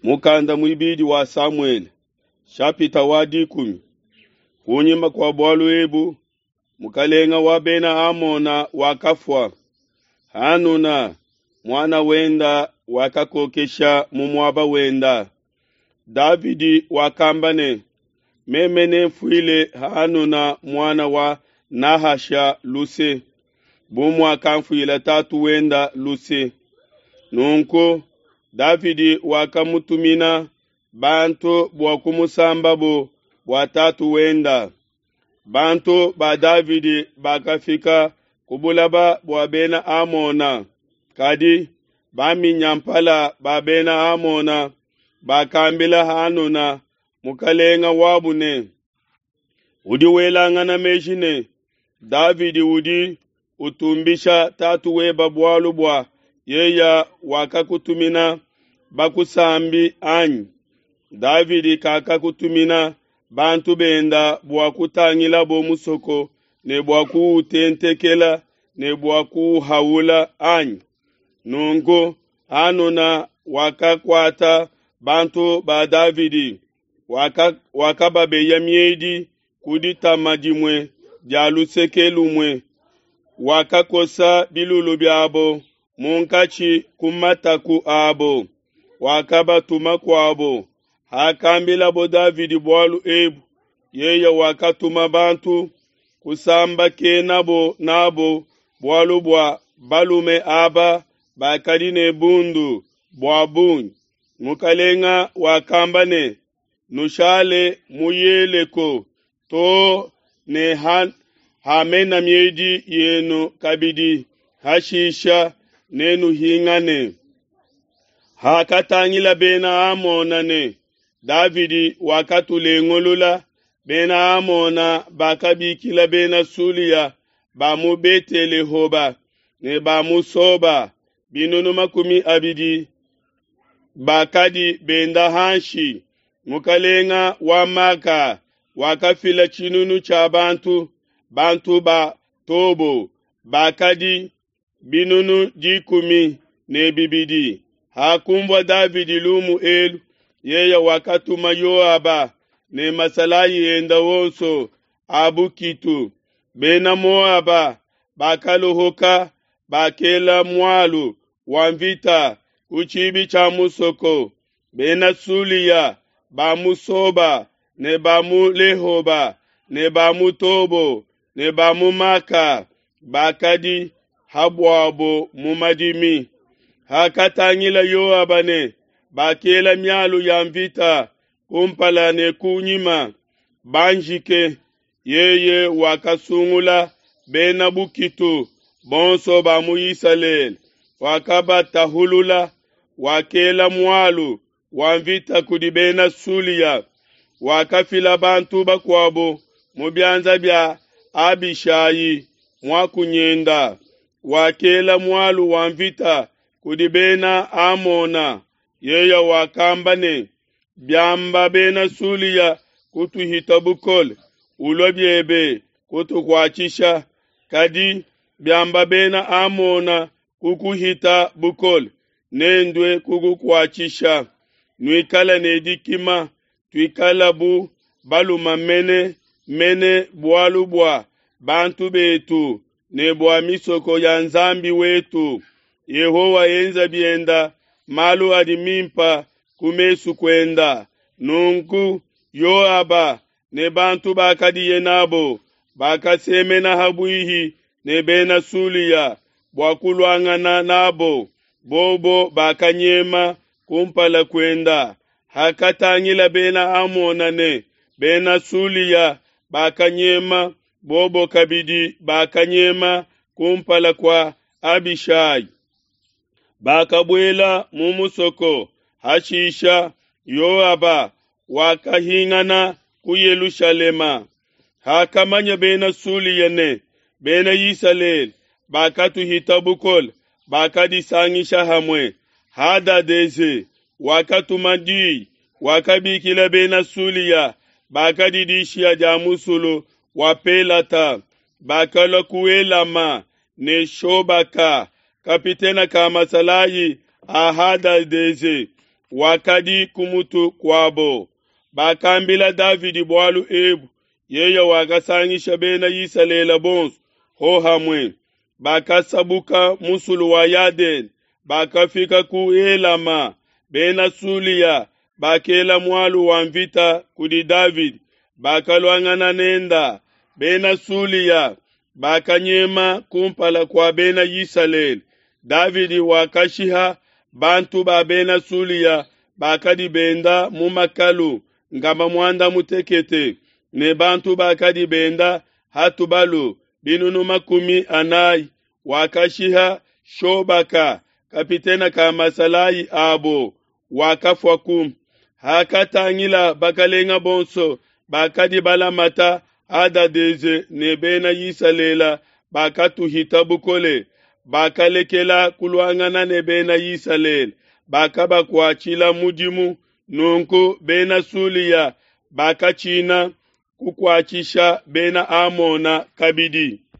Mukanda muibidi wa Samuele, shapita wa dikumi. Kunyima kua bualu ebu, mukalenga wa bena Amona wakafua. Hanuna, muana wenda wakakokesha mu muaba wenda. Davidi wakamba ne, Meme nemfuile Hanuna muana wa Nahasha luse, bu muakamfuila tatu wenda luse. Nunku Davidi wakamutumina bantu bua kumusambabo bua tatu wenda. Bantu ba Davidi bakafika ku bulaba bua bena Amona, kadi baminyampala ba bena Amona bakambila Hanuna mukalenga wabu ne, Udi welangana meji ne, Davidi udi utumbisha tatu weba bualu bua yeya wakakutumina bakusambi anyi? Davidi kakakutumina bantu benda bua kutangilabo musoko ne bua kuutentekela ne bua kuuhaula anyi? Nunku Hanuna wakakuata bantu ba Davidi, wakababeya miedi ku ditama dimue dia luseke lumue, wakakosa bilulu biabo munkatshi ku mataku abo, wakabatuma kuabo. Hakambilabo Davidi bualu ebu, yeye wakatuma bantu kusambakenabo n'abo, bualu bua balume aba bakadi ne bundu bua bungi. Mukalenga wakamba ne, Nushale mu Yeleko to ne hamena miedi yenu kabidi, hashisha nenuhingane. Hakatangila Bena Amona ne, Davidi wakatulengulula, Bena Amona bakabikila Bena Sulia ba mu Bete-lehoba ne ba mu Soba 200 bakadi benda hanshi. Mukalenga wa Maka wakafila tshinunu tshia bantu, bantu ba Tobo bakadi 12000. Hakunvua Davidi lumu elu, yeye wakatuma Yoaba ne masalayi enda onso a bukitu. Bena Moaba bakaluhuka, bakela mualu wa mvita ku tshibi tshia musoko. Bena Sulia ba mu Soba ne ba mu Lehoba ne ba mu Tobo ne ba mu Maka bakadi habuabo mu madimi. Hakatangila Yoaba ne bakela mialu ya mvita kumpala ne kunyima banjike, yeye wakasungula bena bukitu bonso ba mu Isalele, wakabatahulula, wakela mualu wa mvita kudi bena Sulia, wakafila bantu bakuabo mu bianza bia Abishai muakunyenda, wakela mualu wa mvita kudi bena Amona. Yeye wakamba ne, Biamba bena Sulia kutuhita bukole, ulua biebe kutukuatshisha, kadi biamba bena Amona kukuhita bukole, nendue kukukuatshisha. Nuikale ne dikima, tuikala bu baluma mene mene bualu bua bantu betu ne bua misoko ya Nzambi wetu. Yehowa enza bienda malu adi mimpa ku mesu kuenda. Nunku Yoaba ne bantu bakadiye nabo bakasemena ha buihi ne bena Sulia bua kuluangana nabo, bobo bakanyema kumpala kuenda. Hakatangila bena Amona ne bena Sulia bakanyema, bobo kabidi bakanyema kumpala kua Abishai. Bakabuela mu musoko. Hashisha Yoaba wakahingana ku Yelushalema. Hakamanya bena Sulia ne bena Isalele bakatuhita bukole, bakadisangisha hamue. Hadadeze wakatuma di, wakabikila bena Sulia bakadi dishiya dia musulu wa Pelata, bakalua ku Elama ne Shobaka, kapitena ka masalayi a Hadadeze, wakadi ku mutu kuabo. Bakambila Davidi bualu ebu, yeye wakasangisha Bena Isalele bonso hohamue. Bakasabuka musulu wa Yadene, bakafika ku Helama. Bena Sulia bakela mualu wa nvita kudi Davidi, bakaluangana nenda. Bena Sulia bakanyema kumpala kua Bena Isalele. Davidi wakashiha bantu ba Bena Sulia bakadi benda mu makalu nkama muanda mutekete ne bantu bakadi benda ha tubalu 400. Wakashiha Shobaka, kapitene ka masalayi abo, wakafuaku. Hakatangila bakelenge bonso bakadi balamata Hadadeze ne Bena Isalele bakatuhita bukole, bakalekela kuluangana ne Bena Isalele, bakabakuatshila mudimu. Nunku Bena Sulia bakatshina kukuatshisha Bena Amona kabidi.